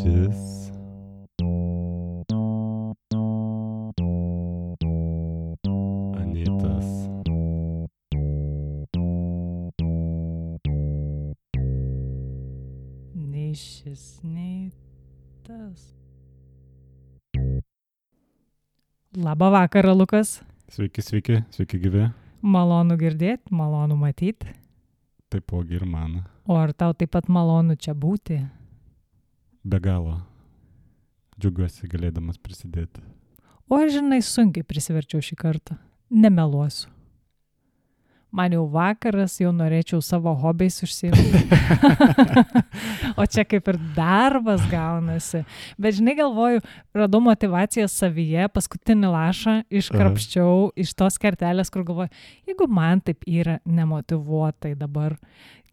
Šis Anytas Nei šis, nei tas. Labą vakarą, Lukas. Sveiki gyvi. Malonu girdėti, malonu matyti. Taipogi ir man. O ar tau taip pat malonu čia būti? Be galo. Džiaugiuosi galėdamas prisidėti. O aš, žinai, sunkiai prisiverčiau šį kartą. Nemeluosiu. Man jau vakaras, jau norėčiau savo hobiais užsiimti. O čia kaip ir darbas gaunasi. Bet žinai, galvoju, radau motivaciją savyje, paskutinį lašą iškrapščiau iš tos kertelės, kur galvoju, jeigu man taip yra nemotyvuotai dabar,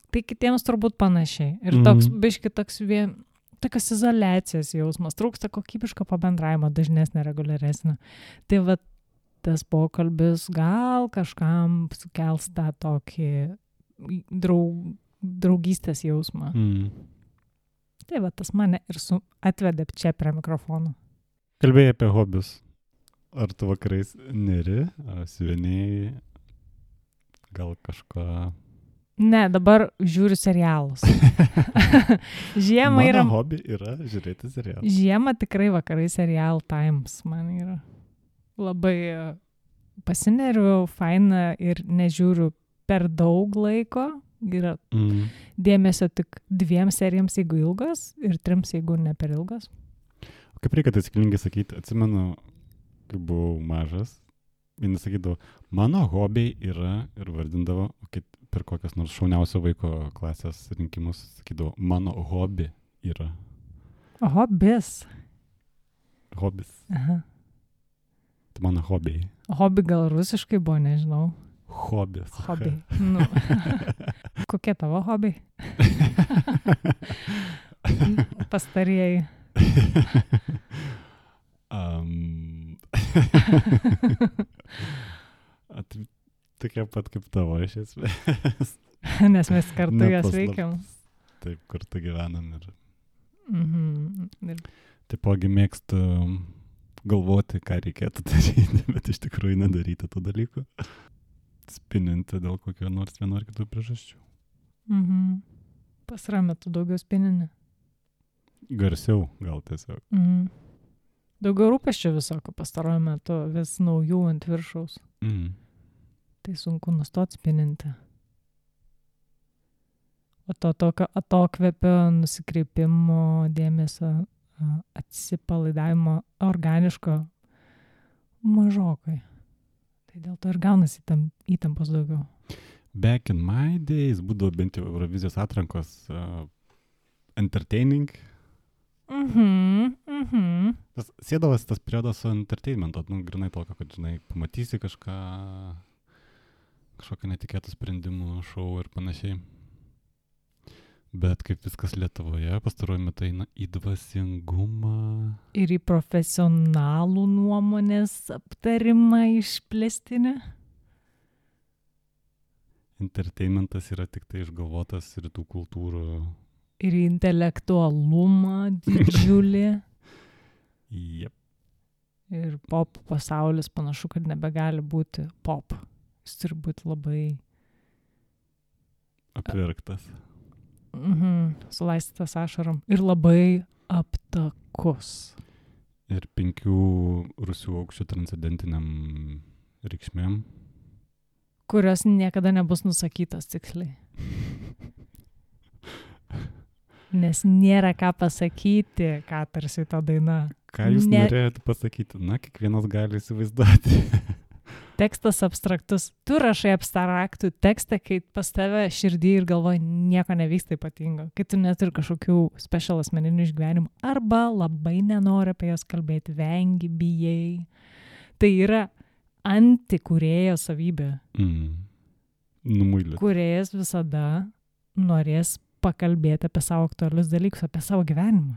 tai kitiems turbūt panašiai. Ir toks biški tokios izoliacijos jausmas, trūksta kokybiško pabendravimo, dažnesnė, reguliaresnė. Tai va, tas pokalbis gal kažkam sukels tą tokį draugystės jausmą. Tai va, tas mane ir atvedė čia prie mikrofono. Kalbėjai apie hobius. Ar tu vakarais neri, siuvinėjai, gal kažką... Ne, dabar žiūriu serialus. Žiemą yra... Mano hobi yra žiūrėti serialus. Žiemą tikrai vakarai serial times man yra. Labai pasineriu, faina ir nežiūriu per daug laiko. Yra dėmesio tik 2 serijoms, jeigu ilgos, ir 3, jeigu ne per ilgos. O kaip reikia taisyklingai sakyti? Atsimenu, kai buvau mažas, vienas sakydavo, mano hobiai yra, ir vardindavo, per kokias nors šauniausio vaiko klasės rinkimus, sakydavo, mano hobi yra. Hobis. Hobis. Aha. Tai mano hobiai. Hobi gal rusiškai buvo, nežinau. Hobis. Hobi. Nu. Kokie tavo hobiai? Pastarieji. Tokia pat kaip tavo iš esmės. Nes mes kartu jas veikiam. Taip, kartu gyvenam ir... Ir... Taipogi mėgstu galvoti, ką reikėtų daryti, bet iš tikrųjų nedaryti tų dalykų. Spininti dėl kokio nors vieno ar kitų priežasčių. Pasarą metu daugiau spinini. Garsiau gal tiesiog. Daugiau rūpesčių visokio pastaruoju metu, vis naujų ant viršaus. Tai sunku nustoti spininti. O to tokio atokvėpio, nusikreipimo, dėmesio, atsipalaidavimo organiško mažokai. Tai dėl to ir gaunasi įtampos daugiau. Back in my days būdavo bent jau Eurovizijos atrankos entertaining. Sėdavosi tas periodas su entertainmento, grinai tokio, kad, žinai, pamatysi kažkokią netikėtų sprendimų, šou ir panašiai. Bet kaip viskas Lietuvoje pastaruoju metu eina į dvasingumą. Ir į profesionalų nuomonės aptarimą išplėstinę. Entertainmentas yra tik tai išgalvotas rytų kultūrų. Ir intelektualumą didžiulį. Jep. Ir pop pasaulis panašu, kad nebegali būti pop. Jis turi būti labai... apverktas. Sulaistytas ašarom. Ir labai aptakus. Ir 5 rūsių aukščių transcendentiniam reikšmėm. Kurios niekada nebus nusakytos tiksliai. Nes nėra ką pasakyti, ką tarsi ta daina. Ką jūs norėjote pasakyti? Na, kiekvienas gali įsivaizduoti. Tekstas abstraktus. Tu rašai abstraktų tekstą, kai pas tave širdį ir galvoji nieko nevyksta ypatingo. Kai tu neturi kažkokių special asmeninių išgyvenimų. Arba labai nenori apie jas kalbėti, vengi, bijai. Tai yra antikūrėjo savybė. Numuilė. Kūrėjas visada norės pakalbėti apie savo aktualius dalykus, apie savo gyvenimą.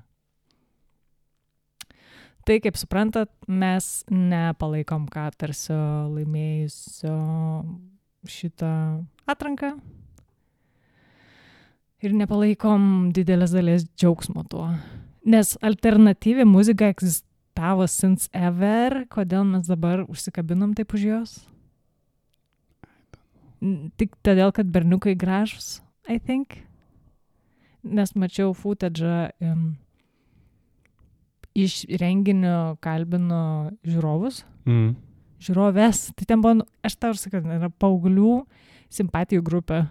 Tai, kaip suprantat, mes nepalaikom Katarsio laimėjusio šitą atranką ir nepalaikom didelės dalies džiaugsmo tuo. Nes alternatyvi muzika egzistavo since ever, kodėl mes dabar užsikabinom taip už jos? Tik todėl, kad berniukai gražus, I think. Nes mačiau footage iš renginio kalbino žiūrovus. Žiūrovės. Tai ten buvo, aš tau ir sakau, yra paauglių simpatijų grupė.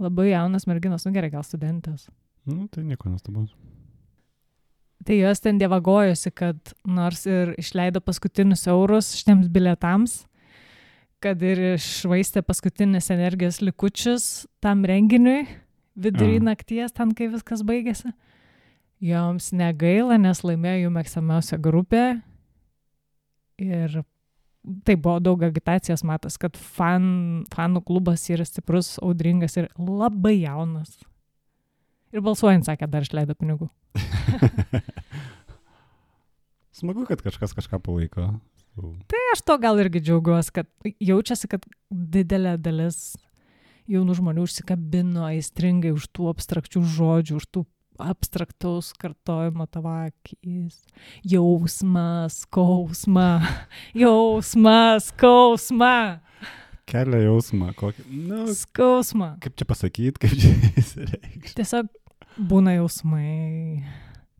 Labai jaunas merginos, gerai, gal studentės. Tai nieko nestabus. Tai jos ten dievagojosi, kad nors ir išleido paskutinius eurus šitiems bilietams, kad ir išvaistė paskutinis energijos likučius tam renginiui vidury nakties, ten kai viskas baigėsi. Joms negaila, nes laimėjo jų mėgstamiausia grupė. Ir tai buvo daug agitacijos matas, kad fanų klubas yra stiprus, audringas ir labai jaunas. Ir balsuojant, sakė, dar išleido pinigų. Smagu, kad kažkas kažką palaiko. Tai aš to gal irgi džiaugiuosi, kad jaučiasi, kad didelė dalis jaunų žmonių užsikabino aistringai už tų abstrakčių žodžių, už tų abstraktaus kartojimo tavo akis. Jausmas, skausma, jausmas, skausma. Kelia jausmą, kokį... Skausmą. Kaip čia pasakyti, kaip čia įsireikšti? Tiesiog būna jausmai,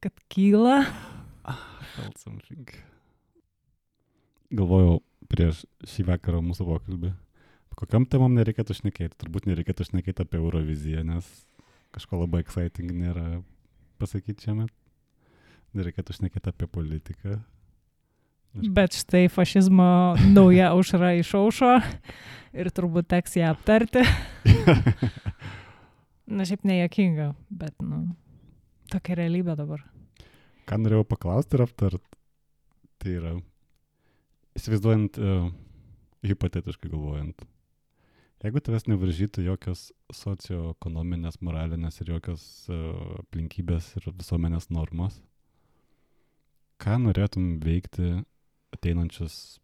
kad kyla. Galvojau prieš šį vakarą mūsų pokalbį. Kokiam temam nereikėtų šnekėti? Turbūt nereikėtų šnekėti apie Euroviziją, nes kažko labai exciting nėra pasakyti šiame. Nereikėtų šnekėti apie politiką. Bet štai fašizmo nauja aušra išaušo ir turbūt teks ją aptarti. Na, šiaip nejuokinga, bet, tokia realybė dabar. Ką norėjau paklausti ir aptart, tai yra, įsivaizduojant, hipotetiškai galvojant, jeigu tavęs nevaržytų jokios socioekonominės, moralinės ir jokios aplinkybės ir visuomenės normos, ką norėtum veikti ateinančius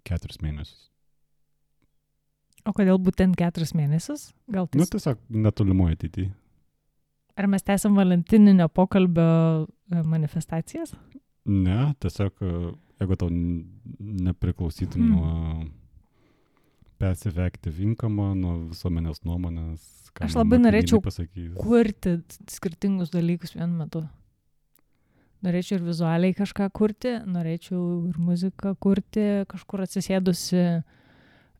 4 mėnesius? O kodėl būtent 4 mėnesius? Gal tai... tiesiog netolimoje ateityje. Ar mes tęsiam valentininio pokalbio manifestacijas? Ne, tiesiog, jeigu tau nepriklausytum nuo passive active income, nuo visuomenės nuomonės, ką aš labai norėčiau pasakys. Kurti skirtingus dalykus vienu metu. Norėčiau ir vizualiai kažką kurti, norėčiau ir muziką kurti, kažkur atsisėdusi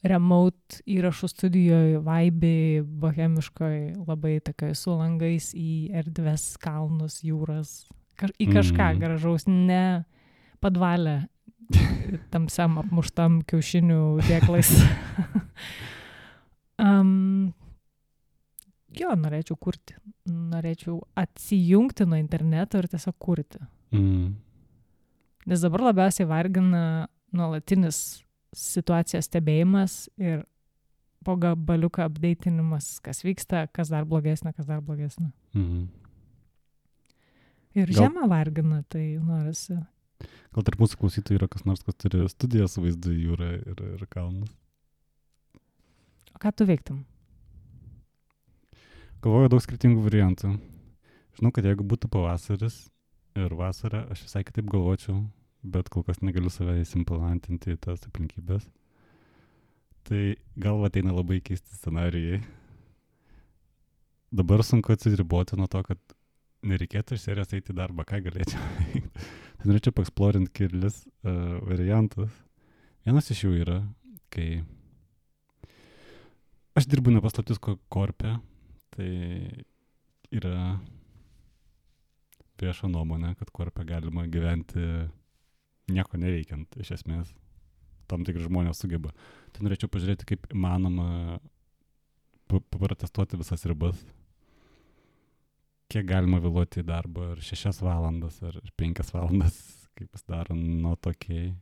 remote įrašų studijoje, vaibėj, bohemiškoj, labai tokioj su langais į erdves, kalnus, jūras, į kažką gražaus, ne padvalę tamsiam apmuštam kiaušinių dėklais. Jo, norėčiau kurti. Norėčiau atsijungti nuo interneto ir tiesiog kurti. Nes dabar labiausiai vargina nuolatinis situacijos stebėjimas ir po gabaliuką updatinimas, kas vyksta, kas dar blogesnė, kas dar blogesnė. Ir žemą vargina, tai norisi. Gal tarp mūsų klausytojų yra kas nors, kas turi studijas su vaizdu į jūrą ir kalnus? O ką tu veiktum? Galvoju daug skirtingų variantų. Žinau, kad jeigu būtų pavasaris ir vasara, aš visai kitaip galvočiau, bet kol kas negaliu save įsimplantinti į tas aplinkybės. Tai gal ateina labai keisti scenarijai. Dabar sunku atsiriboti nuo to, kad nereikėtų iš serijos eiti į darbą, ką galėčiau veikti. Tai norėčiau paeksplorinti kelis variantus. Vienas iš jų yra, kai aš dirbu nepaslaptis korpe, tai yra vieša nuomonė, kad korpe galima gyventi nieko neveikiant, iš esmės. Tam tikri žmonės sugeba. Tai norėčiau pažiūrėti, kaip įmanoma protestuoti visas ribas. Kiek galima vėluoti į darbą, ar 6 valandas, ar 5 valandas, kaip pasidaro nuo tokiai.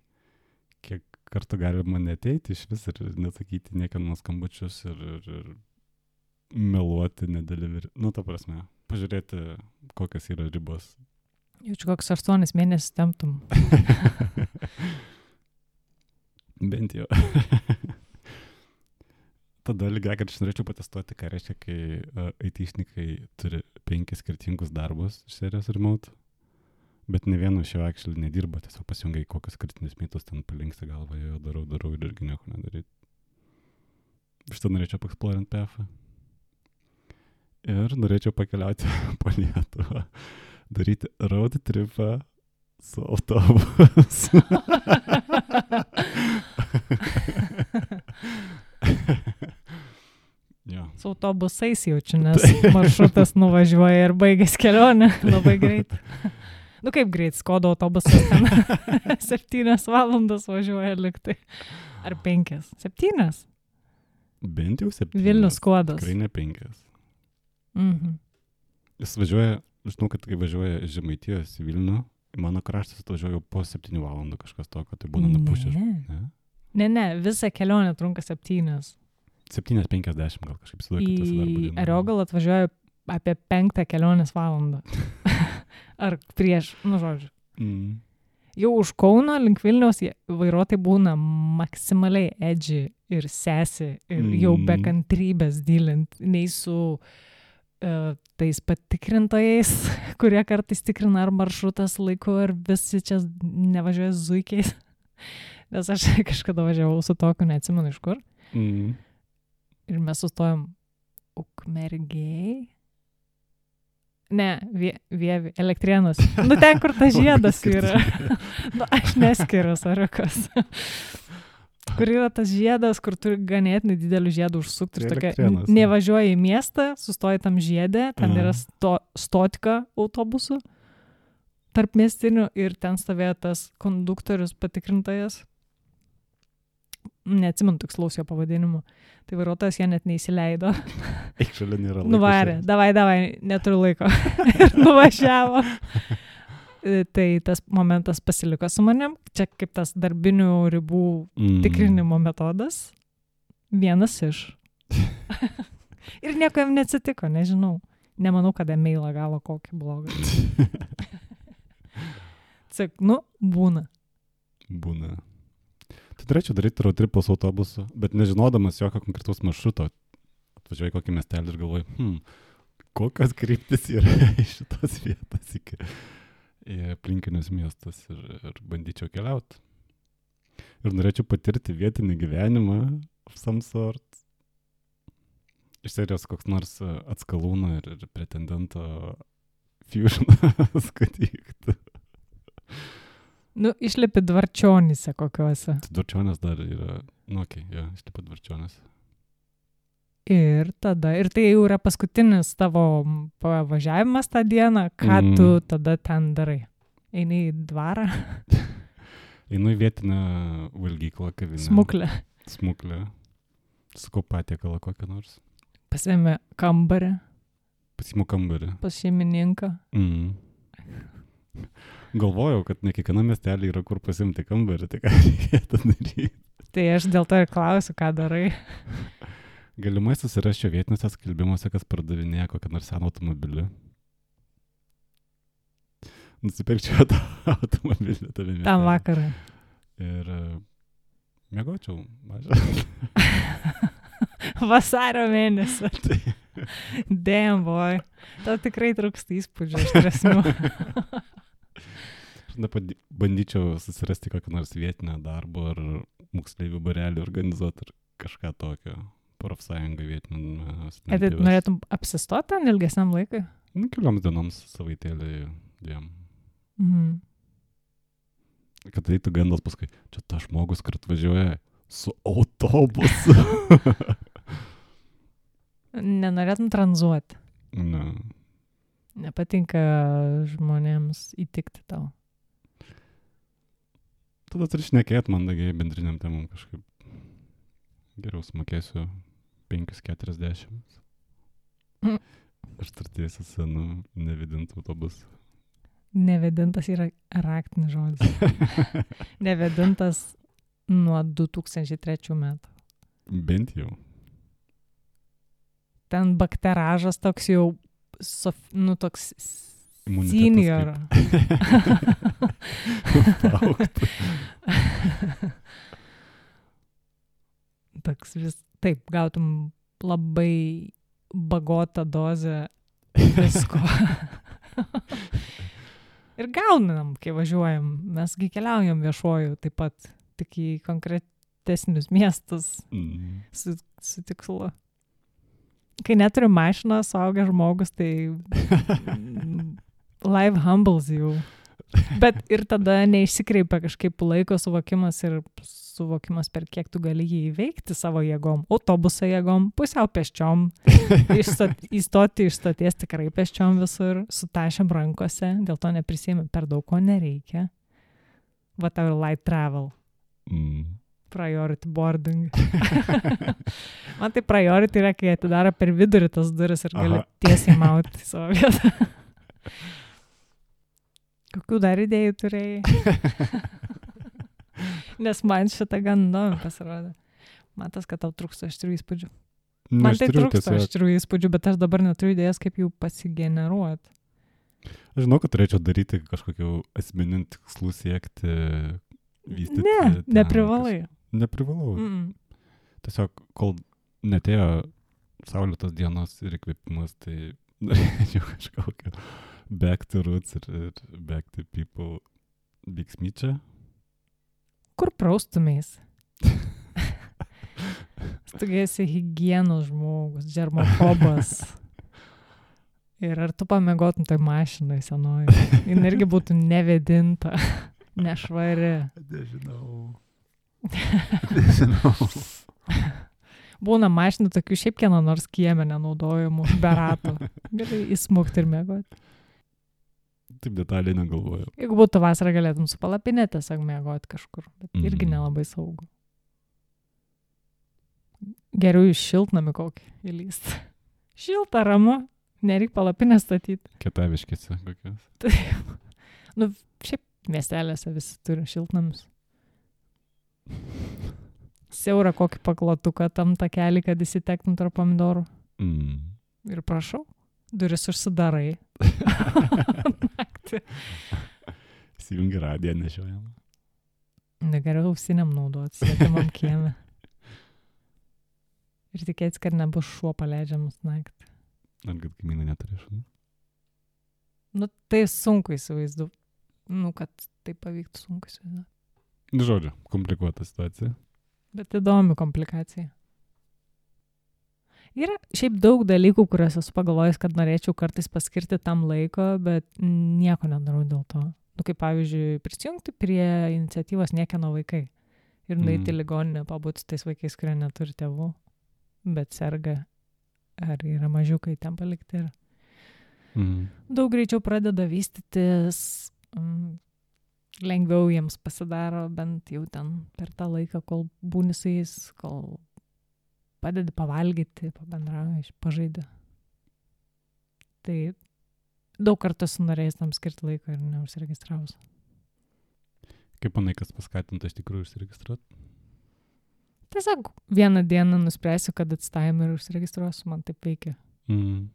Kiek kartų galima neteiti iš vis ir nesakyti niekieno skambučius ir meluoti, nedalyvauti. Ta prasme, pažiūrėti, kokios yra ribos. Jaučiu, koks 8 mėnesius temptum. Bent jau. tada lygiai, kad aš norėčiau patestuoti, ką reiškia, kai IT-šnikai turi 5 skirtingus darbus iš serijos remote, bet ne vienu šio actually nedirba, tiesiog pasijungia į kokius kritinius mitus, ten palinksta galvą, jo darau ir irgi nieko nedaryti. Šitą norėčiau paeksplorinti PF. Ir norėčiau pakeliauti po Lietuvą, daryti road tripą su autobusu. Jo. Su autobusais jaučiu, nes maršrutas nuvažiuoja ir baigės kelionę labai greit. Nu kaip greit, Skoda autobusas ten 7 valandas važiuoja liktai. Ar 5? 7? Bent jau 7. Vilnius Skodas. Tikrai ne 5. Mhm. Jis važiuoja, žinau, kad kai važiuoja iš Žemaitijos į Vilnių, į mano kraštas atvažiuoja po 7 valandų kažkas tokio, tai būna nupušęs. Ne, visa kelionė trunka 7. 7:50 gal kažkaip įsivaizduoju. Į Ariogalą atvažiuoja apie 5 kelionės valandą. Ar prieš, žodžiu. Jau už Kauno link Vilniaus vairuotojai būna maksimaliai edgy ir sesi ir jau be kantrybės dylint, nei su tais patikrintojais, kurie kartais tikrina ar maršrutas laiku, ar visi čia nevažiuoja zuikiais. Nes aš kažkada važiavau su tokiu, neatsimenu iš kur. Ir mes sustojom Ukmergėj. Ne, Vievi, Elektrėnus. Nu ten, kur tas žiedas yra. Nu, aš neskiriu, Sariukas. Kur yra tas žiedas, kur turi ganėtinai didelių žiedų užsukti. Ir tokia, nevažiuoja į miestą, sustoja tam žiedė, ten yra stotika autobusų tarp miestinių ir ten stovėjo tas konduktorius patikrintojas. Neatsimenu tikslaus jo pavadinimu. Tai vairuotojas jie net neįsileido. Eik, šalia nėra laiko. Nuvarė, davai, neturiu laiko. Ir nuvažiavo. Tai tas momentas pasiliko su manim. Čia kaip tas darbinių ribų tikrinimo metodas. Vienas iš. Ir nieko jam neatsitiko, nežinau. Nemanau, kad e-mailą gavo kokį blogą. Sak, būna. Būna. Tai turėčiau daryti road tripą su autobusu, bet nežinodamas jokio konkretaus maršruto. Atvažiuoju kokį miestelį ir galvoju, kokios kryptis yra iš šitos vietos iki aplinkinius miestus ir bandyčiau keliauti. Ir norėčiau patirti vietinį gyvenimą of some sort. Iš serijos koks nors Atskalūno ir pretendento fusionas, kad įvyktų. Išlipi Dvarčionyse kokiuose. Dvarčionės dar yra, išlipi Dvarčionės. Ir tada, ir tai jau yra paskutinis tavo pavažiavimas tą dieną, ką tu tada ten darai? Eini į dvarą? Einu į vietinę valgyklą, kavinę. Smuklę. Sukau patiekalą kokią nors. Pasiėmė kambarį. Pasiimu kambarį. Pas šeimininką. Galvojau, kad ne kiekviena miestelė yra kur pasimti kambarį, tai ką reikėtų daryti. Tai aš dėl to ir klausiu, ką darai. Galimai susirasčiau vietiniuose skelbimuose, kas pardavinėja kokią nors seną automobilį. Nusipirkčiau tą automobilį tave miestelį. Tam vakarą. Ir miegočiau mažą. Vasario mėnesį. Damn boy. Tau tikrai trūksta įspūdžio iš trasmių. Bandyčiau susirasti kokią nors vietinę darbą ar moksleivių barelį organizuoti ar kažką tokio. Profsąjungą vietinį. Tai norėtum apsistoti ten ilgesniam laikui? Kelioms dienoms savaitėlį dviem. Kad eitų gandas paskui, čia ta žmogus, kur atvažiuoja su autobusu. Nenorėtum tranzuoti? Ne. Nepatinka žmonėms įtikti tau? Tada turi šnekėti mandagiai bendriniam temam kažkaip. Geriau sumokėsiu 5,40. Aš tartiesiu senu nevedintų autobusų. Nevedintas yra raktinis žodis. Nevedintas nuo 2003 metų. Bent jau. Ten bakteražas toks jau, toks senior. Toks vis taip, gautum labai bagotą dozę visko. Ir gaunam, kai važiuojam. Mesgi keliaujam viešuoju taip pat, tik į konkretesnius miestus su tikslu. Kai neturi mašiną, suaugęs žmogus, tai life humbles you. Bet ir tada neišsikreipia kažkaip laiko suvokimas ir suvokimas, per kiek tu gali jį įveikti savo jėgom. Autobuso jėgom, pusiau pėsčiom, įstoti iš stoties tikrai pėsčiom visur, su tašėm rankose, dėl to neprisėmė, per daug ko nereikia. Va tau ir light travel. Priority boarding. Man tai priority yra, kai atidaro per vidurį tas duris ir gali tiesiai mauti savo vietą. Kokių dar idėjų turėjai? Nes man šitą gan įdomi pasirodė. Matas, kad tau trūksta aštrių įspūdžių. Man tai trūksta aštrių įspūdžių, bet aš dabar neturiu idėjas, kaip jų pasigeneruoti. Aš žinau, kad turėčiau daryti kažkokių asmeninių tikslų siekti, vystyti. Neprivalai. Neprivalau. Tiesiog, kol netėjo saulėtos dienos ir įkvėpimas, tai norėčiau kažkokio back to roots ir back to people veiksmyčia. Kur praustumės? Tu esi higienos žmogus, germofobas. Ir ar tu pamiegotum toj mašinai senoji? Jin irgi būtų nevedinta, nešvari. Nežinau. Būna mašinų tokių šiaip kieno nors kieme nenaudojamų, be ratų. Gali įsmukti ir miegoti. Taip detaliai negalvojau. Jeigu būtų vasara, galėtum su palapinė tiesiog miegoti kažkur, bet irgi nelabai saugu. Geriau iš šiltnamį kokį įlysti. Šilta, ramu, nereik palapinę statyti. Kietaviškėse kokios. Taip. Nu, šiaip miestelėse visi turi šiltnamius. Siaurą kokį paklotuką tam takelį, kad įsitektum tarp pomidorų. Ir prašau, duris užsidarai. Naktį. Įsijungi radiją nešiojamą. Negeriau ausiniam naudotis, svetimam kieme. Ir tikėtis, kad nebus šuo paleidžiamas naktį. Ar kad kaimynai neturi šunų? Nu, tai sunku įsivaizduoti. Nu, kad tai pavyktų sunku įsivaizduoti. Žodžiu, komplikuota situacija. Bet įdomi komplikacija. Yra šiaip daug dalykų, kuriuos esu pagalvojęs, kad norėčiau kartais paskirti tam laiko, bet nieko nedarau dėl to. Nu, kaip pavyzdžiui, prisijungti prie iniciatyvos Niekieno vaikai. Ir nueiti į ligoninę, pabūti su tais vaikais, kurie neturi tėvų, bet serga, ar yra mažiukai ten palikti. Daug greičiau pradeda vystytis, lengviau jiems pasidaro, bent jau ten per tą laiką, kol būni su jais, kol padedi pavalgyti, pabendrauji, pažaidži. Tai daug kartų esu norėjęs tam skirti laiko ir neužsiregistravus. Kaip manai, kas paskatinta iš tikrųjų užsiregistruoti? Tiesiog vieną dieną nuspręsiu, kad atstaim ir užsiregistruosiu, man taip veikia.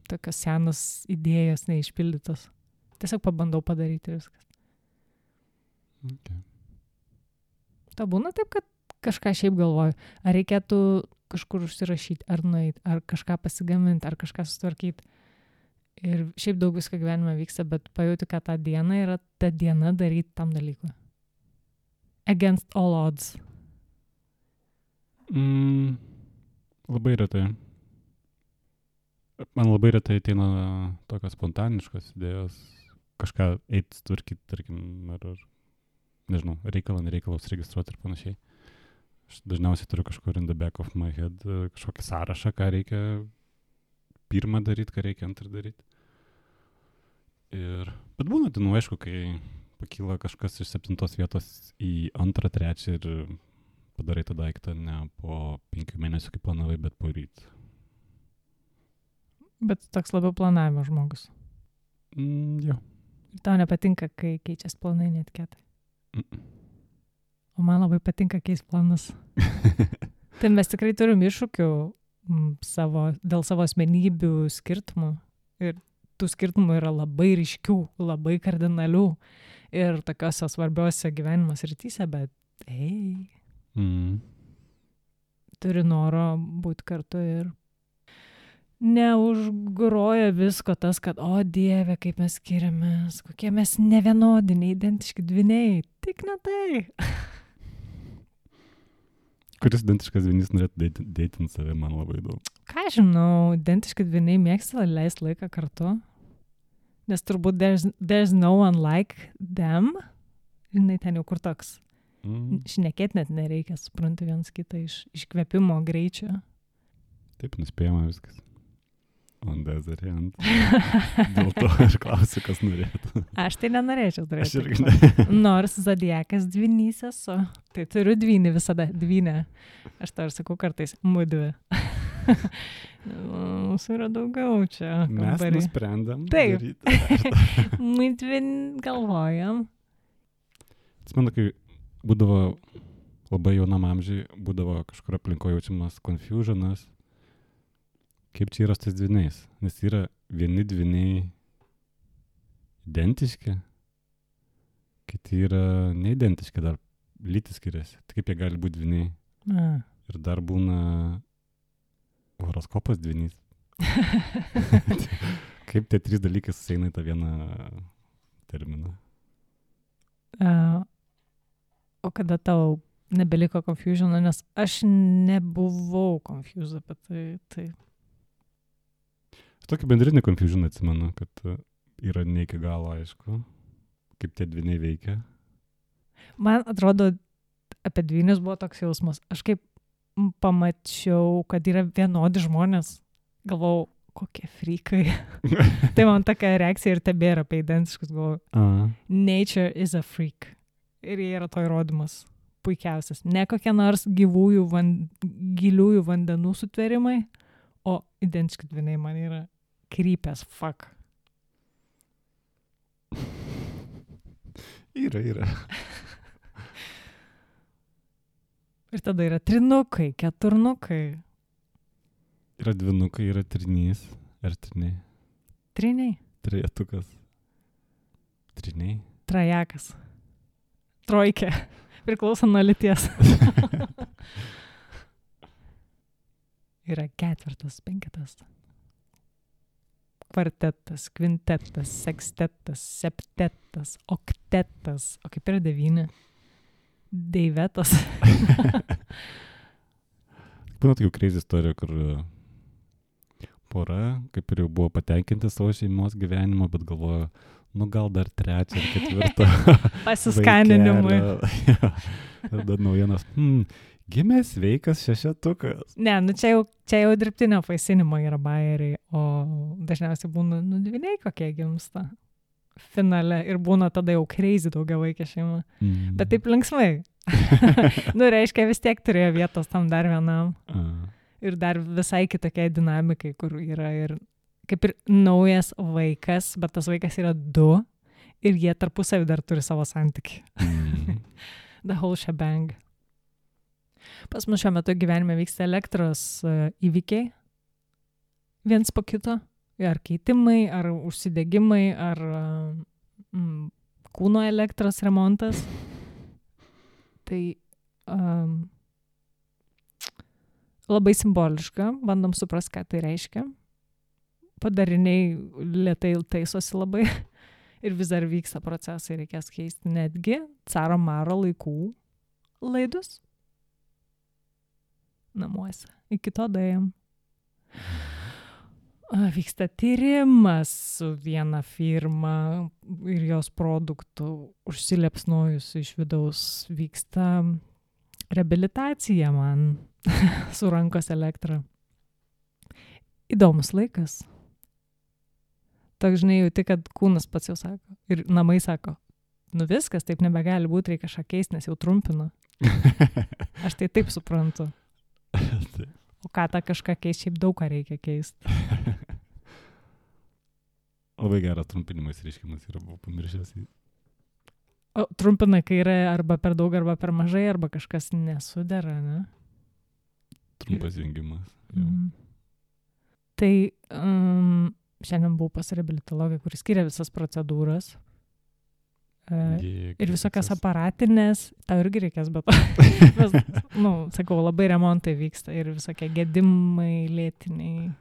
Tokios senos idėjos neišpildytos. Tiesiog pabandau padaryti viskas. Okay. Ta būna taip, kad kažką šiaip galvoju, ar reikėtų kažkur užsirašyti, ar nueiti, ar kažką pasigaminti, ar kažką sutvarkyti. Ir šiaip daug visko gyvenime vyksta, bet pajauti, kad tą dieną yra ta diena daryti tam dalykui. Against all odds. Labai retai. Man labai retai ateina tokios spontaniškos idėjos, kažką eiti tvarkyti, tarkim, ar nežinau, nereikalos registruoti ir panašiai. Aš dažniausiai turiu kažkur in the back of my head kažkokį sąrašą, ką reikia pirmą daryti, ką reikia antrą daryti. Bet būna, tai aišku, kai pakyla kažkas iš 7 vietos į 2, 3 ir padarai tą daiktą ne po 5 mėnesių, kaip planavai, bet po ryt. Bet toks labiau planavimo žmogus. Jo. Ir tau nepatinka, kai keičias planai netikėtai. O man labai patinka keist planus. Tai mes tikrai turim iššūkių dėl savo asmenybių skirtumų. Ir tų skirtumų yra labai ryškių, labai kardinalių. Ir tokiose svarbiose gyvenimo srityse, bet turi noro būti kartu ir neužgroja visko tas, kad, o Dieve, kaip mes skiriamės, kokie mes nevienodi, neidentiški dvyniai. Tik ne tai. Kuris identiškas dvynys norėtų deitinti save, man labai daug. Ką žinau, identiški dvyniai mėgsta leisti laiką kartu. Nes turbūt there's no one like them. Žinai, ten jau kur toks. Šnekėt net nereikia, suprantu vienas kitą iš kvėpimo greičio. Taip, nuspėjama viskas. On the other hand. Dėl to aš klausiu, kas norėtų. Aš tai nenorėčiau turėti. Aš irgi ne. Nors zodiakas dvynys esu. Tai turiu dvynį visada, dvynę. Aš to ir sakau kartais, mudvi. Mūsų yra daugiau čia. Mes nusprendėm. Taip. Mudvi galvojam. Atsimenu, kai būdavo labai jaunam amžiui, būdavo kažkur aplinkoje jaučiamas confusionas. Kaip čia yra su tais dvyniais? Nes yra vieni dvyniai identiški, kiti yra neidentiški, dar lytis skiriasi. Tai kaip jie gali būti dvyniai? Ir dar būna horoskopas dvynys. Kaip tie 3 dalykai susieina į tą vieną terminą? O kada tau nebeliko confusiono, nes aš nebuvau confused apie tai. Tokį bendrinį confusioną atsimenu, kad yra ne iki galo aišku, kaip tie dvyniai veikia. Man atrodo, apie dvynius buvo toks jausmas. Aš kaip pamačiau, kad yra vienodi žmonės, galvau, kokie frikai. Tai man tokia reakcija ir tebėra apie identiškus, galvau. Nature is a freak. Ir jie yra to įrodymas puikiausias. Ne kokie nors giliųjų vandenų sutvėrimai, o identiški dvyniai man yra creepy as fuck. Yra. Ir tada yra trinukai, keturnukai. Yra dvynukai, yra trinys. Ar triniai? Triniai. Trejetukas. Triniai. Trajakas. Trojkė. Priklauso nuo lyties. Yra 4, 5. Kvartetas, kvintetas, sekstetas, septetas, oktetas. O kaip yra 9? Deivetas. Būna tokių crazy istorijų, kur pora, kaip ir jau buvo patenkinti savo šeimos gyvenimo, bet galvojo, gal dar 3 ar 4. Pasiskaninimui. Ir dar naujienas. Gimė sveikas 6. Ne, čia jau dirbtinio apvaisinimo yra bajeriai, o dažniausiai būna dvyniai kokie gimsta finale ir būna tada jau crazy daugiavaikė šeima. Bet taip linksmai. Reiškia, vis tiek turėjo vietos tam dar vienam. Ir dar visai kitokiai dinamikai, kur yra ir kaip ir naujas vaikas, bet tas vaikas yra 2 ir jie tarpusavį dar turi savo santykį. The whole shebang. Pas mus šiuo metu gyvenime vyksta elektros įvykiai. Viens po kito. Ar keitimai, ar užsidegimai, ar kūno elektros remontas. Tai labai simboliška. Bandom suprast, ką tai reiškia. Padariniai lėtai taisosi labai. Ir vis dar vyksta procesai, reikės keisti netgi caro maro laikų laidus. Namuose. Iki to daėjom. Vyksta tyrimas su viena firma ir jos produktų užsiliepsnojus iš vidaus. Vyksta reabilitacija man su rankos elektra. Įdomus laikas. Toks, žinai, jauti, kad kūnas pats jau sako. Ir namai sako, viskas, taip nebegali būti, reikia kažką keisti, nes jau trumpina. Aš tai taip suprantu. O ką tą kažką keisti, šiaip daug ką reikia keisti. Labai geras trumpinimas reiškimas yra, buvau pamiršęs. O trumpina, kai yra arba per daug, arba per mažai, arba kažkas nesudera, ne? Trumpas jungimas. Tai šiandien buvau pas reabilitologą, kuris skiria visas procedūras. ir visokias aparatinės, tau irgi reikės, bet mes, sakau, labai remontai vyksta ir visokie gedimai, lėtiniai.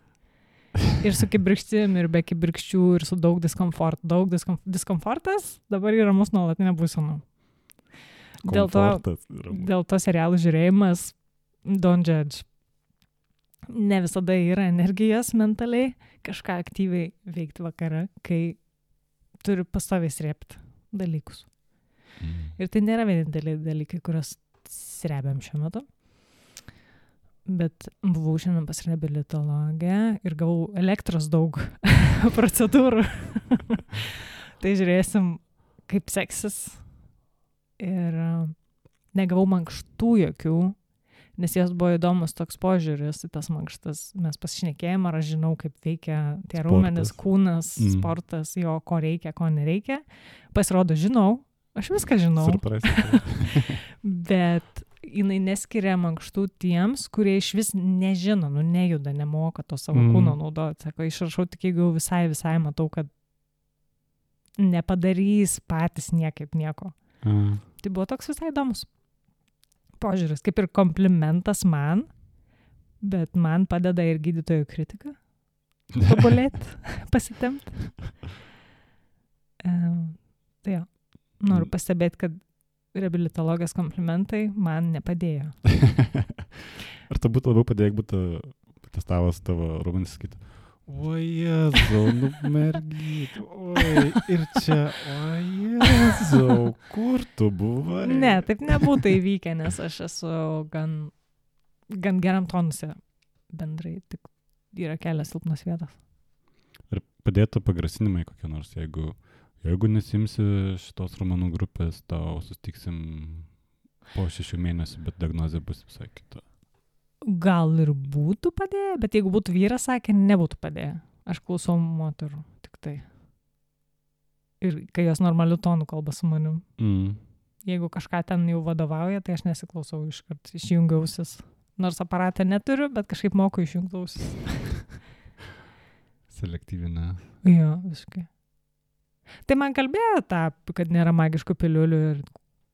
Ir su kibirkštim, ir be kibirkščių, ir su daug diskomforto. Diskomfortas dabar yra mūsų nuolatinė būsena. Dėl to serialų žiūrėjimas don't judge. Ne visada yra energijos mentaliai kažką aktyviai veikti vakare, kai turi pastoviai srėpti dalykus. Ir tai nėra vieninteliai dalykai, kuriuos srebiam šiuo metu. Bet buvau šiandien pas reabilitologę ir gavau elektros daug procedūrų. Tai žiūrėsim, kaip seksis. Ir negavau mankštų jokių, nes jos buvo įdomus toks požiūris į tas mankštas. Mes pasišnekėjom, ar aš žinau, kaip veikia tie raumenis, kūnas, sportas, jo, ko reikia, ko nereikia. Pasirodo, žinau, aš viską žinau. Bet jinai neskiria mankštų tiems, kurie iš vis nežino, nejuda, nemoka to savo kūno naudoti. Sako, išrašau tik, jeigu visai matau, kad nepadarys patys niekaip nieko. Tai buvo toks visai įdomus požiūris, kaip ir komplimentas man, bet man padeda ir gydytojų kritika tobulėti, pasitemti. Tai jo, noriu pastebėti, kad reabilitologijos komplimentai man nepadėjo. Ar tai būtų labiau padėjo, jeigu būtų testavas tavo raumenis sakytų, oi Jėzau, mergyt, oi, ir čia, oi Jėzau, kur tu buvai? Ne, taip nebūtų įvykę, nes aš esu gan geram tonuse bendrai, tik yra kelias silpnos vietos. Ir padėtų pagrasinimai kokie nors, jeigu nesimsi šitos raumenų grupės, tau sustiksim po 6 mėnesių, bet diagnozė bus visai kita. Gal ir būtų padėję, bet jeigu būtų vyras sakė, nebūtų padėję. Aš klausau moterų, tik tai. Ir kai jos normaliu tonu kalba su manim. Jeigu kažką ten jau vadovauja, tai aš nesiklausau iškart, išjungiausis. Nors aparatą neturiu, bet kažkaip moku išjungausis. Selektyvinė. Jo, visiškai. Tai man kalbėjo kad nėra magiškų piliulių ir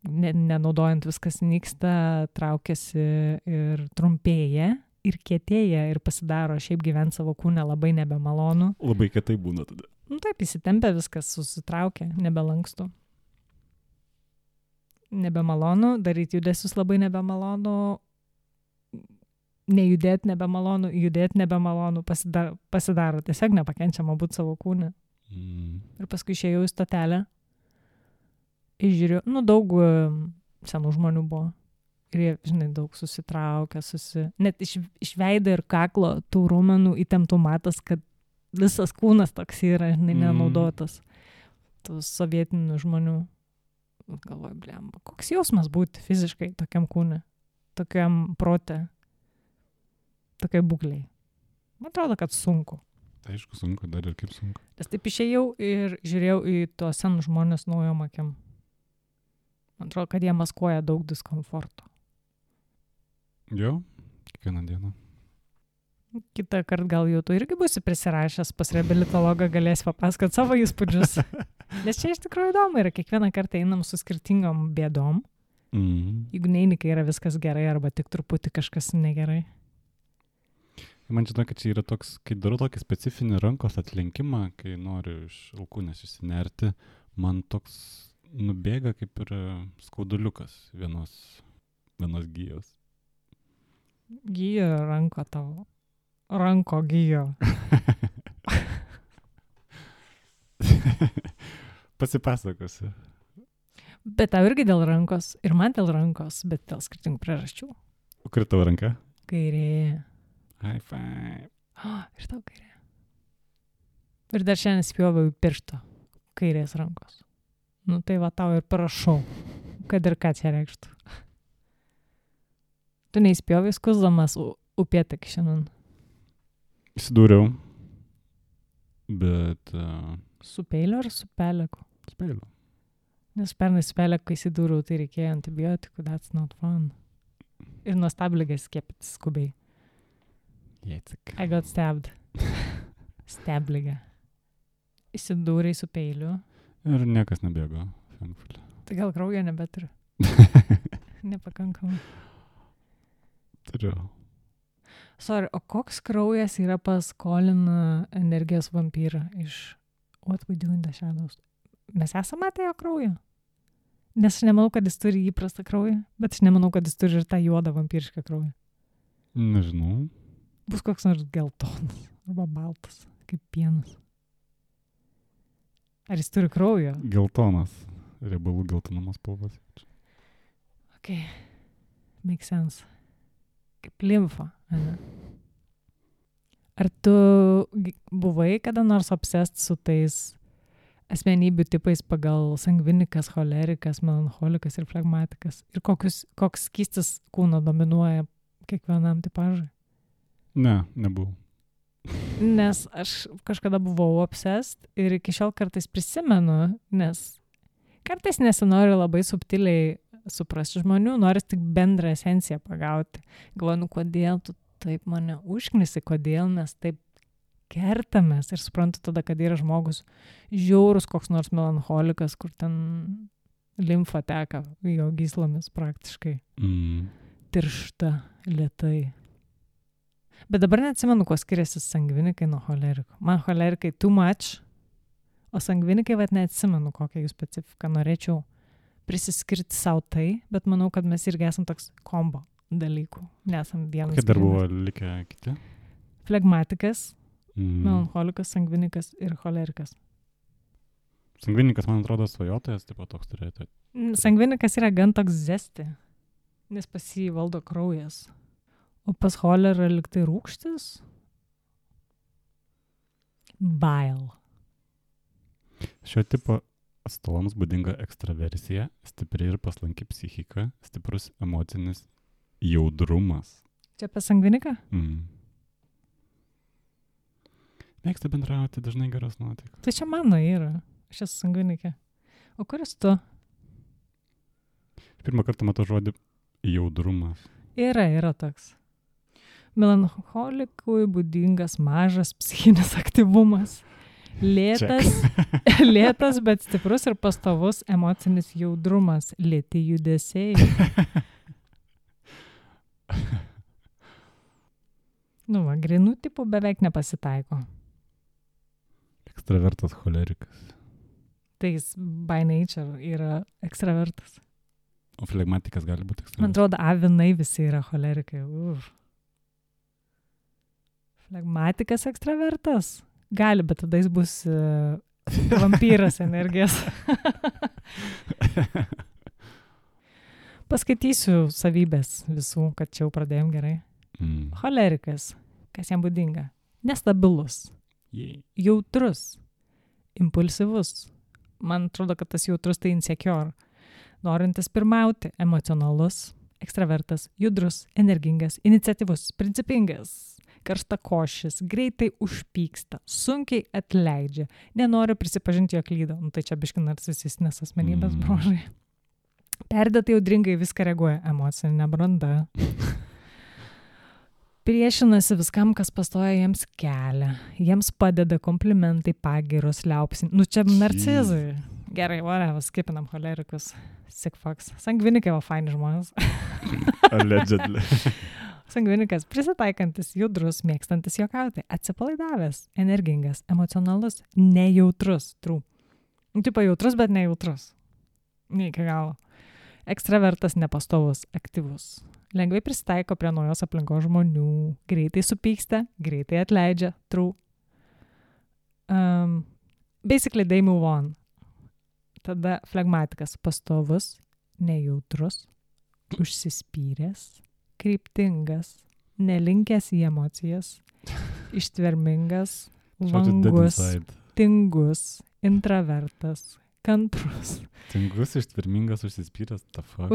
nenaudojant viskas nyksta, traukiasi ir trumpėja ir kietėja ir pasidaro šiaip gyventi savo kūne labai nebemalonu. Labai kietai būna tada. Taip, įsitempia viskas, susitraukia, nebelankstu. Nebemalonu, daryti judesius labai nebemalonu, nejudėti nebemalonu, judėti nebemalonu, pasidaro tiesiog nepakenčiama būti savo kūne. Ir paskui išėjau į stotelę. Išžiūriu, daug senų žmonių buvo. Ir jie, žinai, daug susitraukia, net iš veido ir kaklo tų raumenų įtemptų matas, kad visas kūnas toks yra, žinai, nenaudotas. Tų sovietinių žmonių. Galvoju, blemba, koks jausmas būti fiziškai tokiam kūne, tokiam prote, tokiai būkliai. Man atrodo, kad sunku. Tai aišku, sunku, dar ir kaip sunku. Nes taip išėjau ir žiūrėjau į tuos senus žmonės naujom akim. Man atrodo, kad jie maskuoja daug diskomforto. Jo, kiekvieną dieną. Kitą kartą gal jau tu irgi būsi prisirašęs pas reabilitologą, galėsi papasakot savo įspūdžius. Nes čia iš tikrųjų įdomu yra, kiekvieną kartą einam su skirtingom bėdom. Jeigu neini, kai yra viskas gerai arba tik truputį kažkas negerai. Man žinau, kad čia yra toks, kai darau tokį specifinį rankos atlenkimą, kai noriu iš alkūnės išsinerti, man toks nubėga kaip ir skauduliukas vienos gijos. Gijo ranko tavo. Ranko gijo. Pasipasakosiu. Bet tau irgi dėl rankos, ir man dėl rankos, bet dėl skirtingų priežasčių. O kur tavo ranka? Kairė. High five. Ir tau kairė. Ir dar šiandien spjoviau į pirštą kairės rankos. Tai va tau ir parašau, kad ir ką čia reikštų. Tu neįspjovai skusdamas upėtakį šiandien. Įsidūriau, bet... Su peiliu ar su peleku? Su peiliu. Nes pernai su peleku įsidūriau, tai reikėjo antibiotikų, that's not fun. Ir nuo stabligės skiepyti skubiai. Jėcik. I got stabbed. Stabligė. Įsidūrei su peiliu. Ir niekas nebėgo. thankfully. Tai gal kraujo nebeturiu. Nepakankamai. Turiu. Sorry, o koks kraujas yra pas Colin energijos vampyrą iš What We Do in the Shadows? Mes esame matę jo kraują? Nes aš nemanau, kad jis turi įprastą kraują, bet aš nemanau, kad jis turi ir tą juodą vampyrišką kraują. Nežinau. Bus koks nors geltonas arba baltas, kaip pienas. Ar jis turi kraujo? Geltonas. Riebalų geltonumas spalvas. Okay. Makes sense. Kaip limfa. Ane? Ar tu buvai kada nors obsessed su tais asmenybių tipais pagal sangvinikas, cholerikas, melancholikas ir flegmatikas? Ir koks skystis kūno dominuoja kiekvienam tipažui? Ne, nebuvau. Nes aš kažkada buvau obsessed ir iki šiol kartais prisimenu, nes kartais nesinori labai subtiliai suprasti žmonių, nori tik bendrą esenciją pagauti. Galvoju, kodėl tu taip mane užknisi, kodėl mes taip kertamės ir suprantu tada, kad yra žmogus žiaurus koks nors melancholikas, kur ten limfa teka jo gyslomis praktiškai. Tiršta, lėtai. Bet dabar neatsimenu, kuo skiriasi sangvinikai nuo cholerikų. Man cholerikai too much, o sangvinikai vat neatsimenu, kokią jų specifiką norėčiau prisiskirti savo tai, bet manau, kad mes irgi esam toks kombo dalykų. Nesam vienas. Kokie dar buvo likę kiti? Flegmatikas, melancholikas, sangvinikas ir cholerikas. Sangvinikas, man atrodo, svajotojas, taip pat toks turėtų. Sangvinikas yra gan toks zesti, nes pas jį valdo kraujas. O pas cholerą liktai rūgštis? Bile. Šio tipo atstovams būdinga ekstraversija, stipri ir paslanki psichika, stiprus emocinis jaudrumas. Čia apie sangviniką? Mėgsta bendrauti, dažnai geros nuotaikos. Tai čia mano yra. Aš esu sangvinikė. O kuris tu? Pirmą kartą matau žodį jaudrumas. Yra toks. Melancholikui būdingas mažas psichinis aktyvumas. Lėtas, bet stiprus ir pastovus emocinis jaudrumas. Lėti judesiai. Grinų tipų beveik nepasitaiko. Ekstravertas cholerikas. Tai jis by nature yra ekstravertas. O flegmatikas gali būti ekstravertas. Man atrodo, avinai visi yra cholerikai. Flegmatikas ekstravertas? Gali, bet tada jis bus vampyras energijos. Paskaitysiu savybės visų, kad čia jau pradėjom gerai. Cholerikas, kas jam būdinga? Nestabilus, jautrus, impulsyvus. Man atrodo, kad tas jautrus tai insecure. Norintis pirmauti, emocionalus, ekstravertas, judrus, energingas, iniciatyvus, principingas, karštakošis, greitai užpyksta, sunkiai atleidžia, nenori prisipažinti, jog klydo. Tai čia biški narcisistinės asmenybės bruožai. Perdėtai audringai viską reaguoja, emocinė branda. Priešinasi viskam, kas pastoja jiems kelią. Jiems padeda komplimentai, pagyros, liaupsin. Čia narcizai. Gerai, whatever, skipinam cholerikus. Sick fucks. Sangvinikai va faini žmonės. Allegedly. Sangvinikas prisitaikantis, judrus, mėgstantis juokauti, atsipalaidavęs, energingas, emocionalus, nejautrus. True. Tipo jautrus, bet nejautrus. Ne iki galo. Ekstravertas, nepastovus, aktyvus. Lengvai prisitaiko prie naujos aplinkos žmonių, greitai supyksta, greitai atleidžia. True. Basically, they move on. Tada flegmatikas, pastovus, nejautrus, užsispyręs, kryptingas, nelinkęs į emocijas, ištvermingas, vangus, tingus, intravertas, kantrus. Tingus, ištvermingas, užsispyręs, the fuck.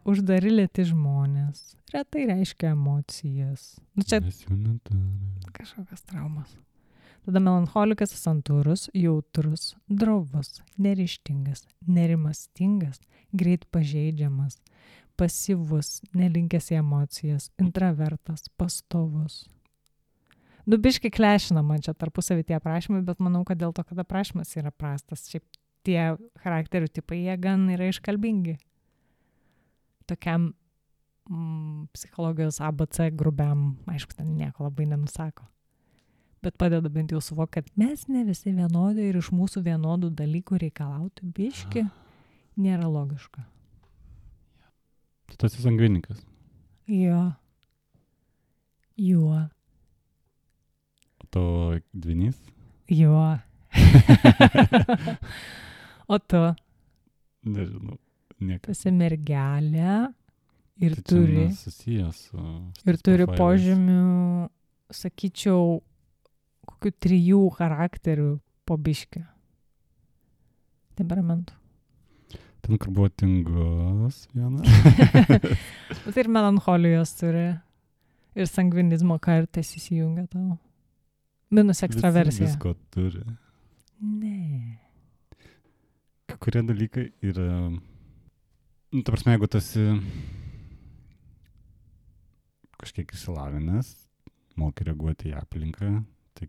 Uždari lėti žmonės. Retai reiškia emocijas. Čia kažkokios traumas. Tada melancholikas, santūrus, jautrus, drovus, neryžtingas, nerimastingas, greit pažeidžiamas, pasyvus, nelinkęs į emocijas, intravertas, pastovus. Biškai klešina man čia tarpusavį tie aprašymai, bet manau, kad dėl to, kad aprašymas yra prastas. Šiaip tie charakterių tipai, jie gan yra iškalbingi. Tokiam psichologijos ABC grubiam, aišku, ten nieko labai nenusako. Bet padeda bent jau suvokti, kad mes ne visi vienodai ir iš mūsų vienodų dalykų reikalauti biški nėra logiška. Tu esi sangvinikas. Jo. O to dvinys? Jo. O tu? Nežinau. Niekas. Tu esi mergelė ir Tai turi, čia susijęs su ir turi profailais. požymių, sakyčiau, kokių 3 charakterių po biškį. Temperamentų. Ten, kur buvo tingus viena. Bet ir melancholijos turi. Ir sangvinizmo kartais įsijungia tau. Minus ekstraversija. Visko turi. Ne. Kai kurie dalykai yra... Nu, ta prasme, jeigu tu esi kažkiek išsilavinęs, moki reaguoti į aplinką, tai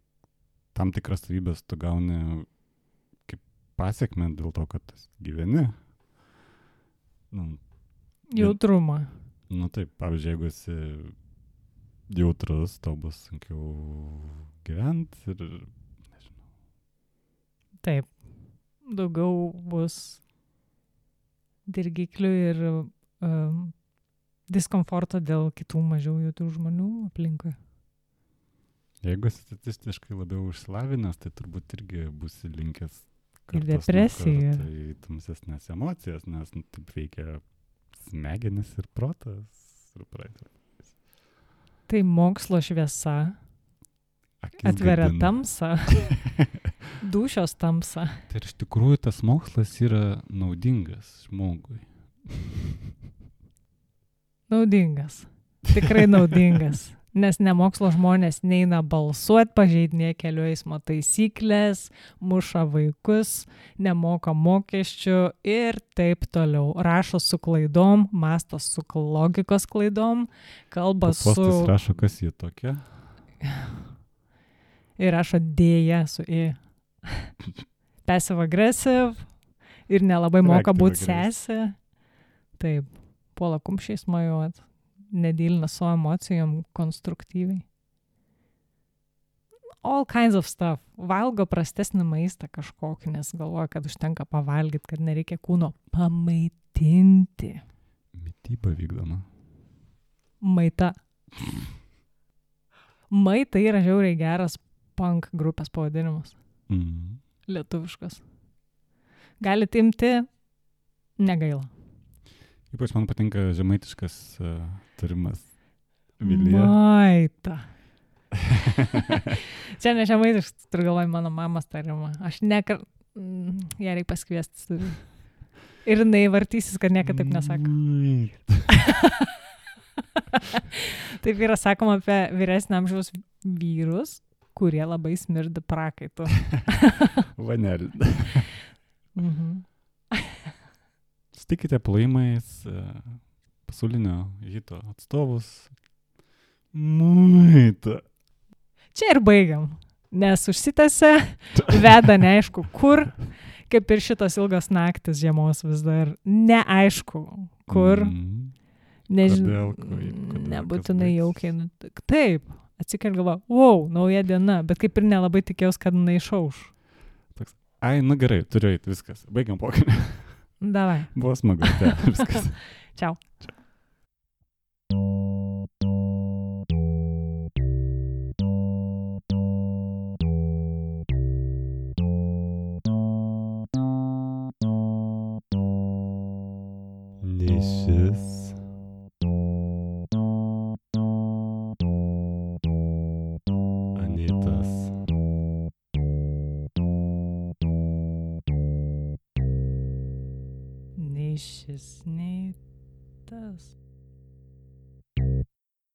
tam tikras savybės tu gauni kaip pasiekmę dėl to, kad gyveni. Jautrumą. Nu taip, pavyzdžiui, jeigu esi jautrus, tau bus sunkiau gyventi ir, nežinau. Taip. Daugiau bus dirgiklių ir diskomforto dėl kitų mažiau jautrių žmonių aplinkui. Jeigu esi statistiškai labiau išsilavinęs, tai turbūt irgi būsi linkęs Ir depresija. Tai tamsesnės emocijas, nes taip veikia smegenis ir protas. Ir praeitis. Tai mokslo šviesa Akis atveria gadina. tamsą, dūšios tamsą. Tai iš tikrųjų tas mokslas yra naudingas žmogui. Naudingas. Tikrai naudingas. Nes nemokslo žmonės neina balsuoti, pažeidinėja kelių eismo taisyklės, muša vaikus, nemoka mokesčių ir taip toliau. Rašo su klaidom, mastas su logikos klaidom, kalba su... Postas rašo, kas jie tokia. Ir rašo dėja su i. Passive aggressive ir nelabai moka būti sesė. Taip, puola kumščiais mojuot. Nedylina su emocijom konstruktyviai. All kinds of stuff. Valgo prastesnį maistą kažkokį, nes galvoja, kad užtenka pavalgyti, kad nereikia kūno pamaitinti. Mityba vykdoma. Maita. Maita yra žiauriai geras punk grupės pavadinimas. Lietuviškas. Galit imti, negaila. Ypač man patinka žemaitiškas tarimas. Vilija. Maita. Čia ne žemaitiškas, turiu galvoj mano mamos tarimą. Aš ją reikia pasikviesti. Ir jinai vartysis, kad niekada taip nesako. Taip yra sakoma apie vyresnio amžiaus vyrus, kurie labai smirda prakaitu. Vanelį. Sutikite plojimais pasaulinio hito atstovus. Maita. Čia ir baigiam, nes užsitęsia, veda neaišku kur, kaip ir šitos ilgos naktis žiemos vis dar neaišku kur. Nežinau, nebūtinai jaukiai. Taip, atsikeli galva, wow, nauja diena, bet kaip ir nelabai tikėjausi, kad jinai išauš. Ai, nu gerai, turiu eiti, viskas. Baigiam pokalbį. Davai. Buvo smagu, viskas. Čiau. Nišis. Anytas. Nei šis, nei tas.